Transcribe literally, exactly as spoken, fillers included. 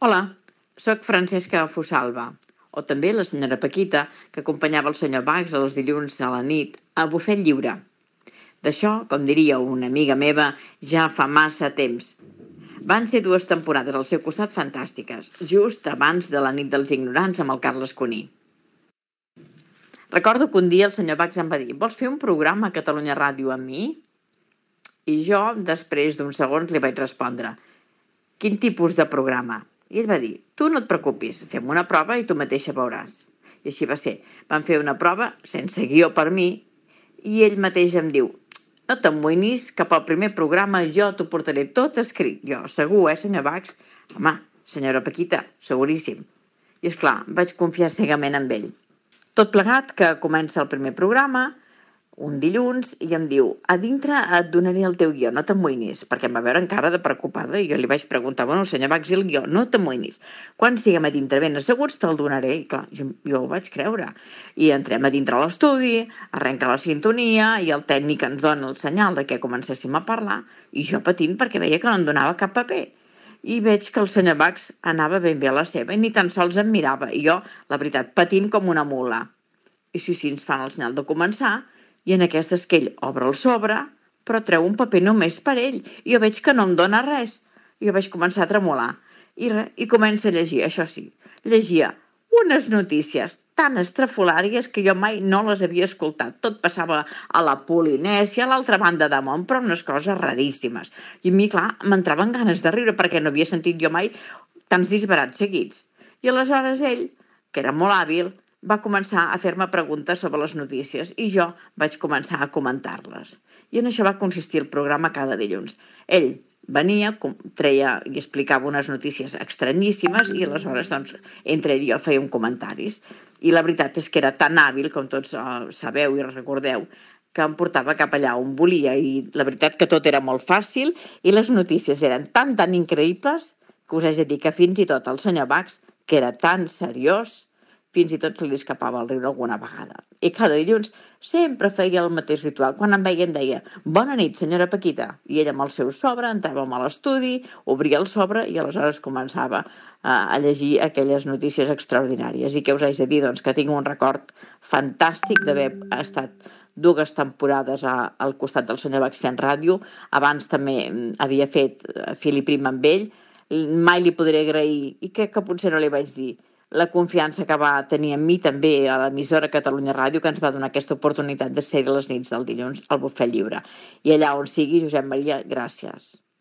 Hola, sóc Francesca Fosalva, o també la senyora Paquita, que acompanyava el senyor Bax els dilluns a la nit a Bufet Lliure. D'això, com diria una amiga meva, ja fa massa temps. Van ser dues temporades al seu costat fantàstiques, just abans de la nit dels ignorants amb el Carles Cuní. Recordo que un dia el senyor Bax em va dir: vols fer un programa a Catalunya Ràdio amb mi? I jo, després d'uns segons, li vaig respondre: quin tipus de programa? I ell va dir: tu no et preocupis, fem una prova i tu mateixa veuràs. I així va ser. Vam fer una prova sense guió per mi i ell mateix em diu: no t'amoïnis, que pel primer programa jo t'ho portaré tot escrit. Jo, segur, eh, senyor Bax? Home, senyora Paquita, seguríssim. I esclar, vaig confiar cegament en ell. Tot plegat que comença el primer programa, un dilluns, i em diu: a dintre et donaré el teu guió, no t'amoïnis, perquè em va veure encara de preocupada i jo li vaig preguntar: bueno, senyor Bax, i el guió? No t'amoïnis. Quan siguem a dintre ben asseguts te'l donaré. I clar, jo, jo ho vaig creure. I entrem a dintre l'estudi, arrenca la sintonia i el tècnic ens dona el senyal de que comencéssim a parlar i jo patint perquè veia que no em donava cap paper. I veig que el senyor Bax anava ben bé a la seva i ni tan sols em mirava. I jo, la veritat, patint com una mula. I sí, sí, ens fan el senyal de començar. I en aquestes que ell obre el sobre, però treu un paper només per ell. I jo veig que no em dona res. I jo vaig començar a tremolar. I, re, i comença a llegir, això sí. Llegia unes notícies tan estrafolàries que jo mai no les havia escoltat. Tot passava a la Polinèsia, a l'altra banda de món, però unes coses raríssimes. I a mi, clar, m'entraven ganes de riure perquè no havia sentit jo mai tants disbarats seguits. I aleshores ell, que era molt hàbil, va començar a fer-me preguntes sobre les notícies i jo vaig començar a comentar-les. I en això va consistir el programa cada dilluns. Ell venia, treia i explicava unes notícies estranyíssimes i aleshores, doncs, entre ell i jo fèiem comentaris. I la veritat és que era tan hàbil, com tots uh, sabeu i recordeu, que em portava cap allà on volia i la veritat que tot era molt fàcil i les notícies eren tan, tan increïbles que us haig de dir que fins i tot el senyor Bax, que era tan seriós, fins i tot se li escapava el riure alguna vegada. I cada dilluns sempre feia el mateix ritual. Quan em veia em deia: bona nit, senyora Paquita. I ella amb el seu sobre, entràvem a l'estudi, obria el sobre i aleshores començava a llegir aquelles notícies extraordinàries. I què us haig de dir? Doncs que tinc un record fantàstic d'haver estat dues temporades al costat del senyor Bax fent ràdio. Abans també havia fet fil i prim amb ell. Mai li podré agrair, i crec que potser no li vaig dir, la confiança que va tenir en mi també a l'emissora Catalunya Ràdio, que ens va donar aquesta oportunitat de ser les nits del dilluns al Bufet Lliure. I allà on sigui, Josep Maria, gràcies.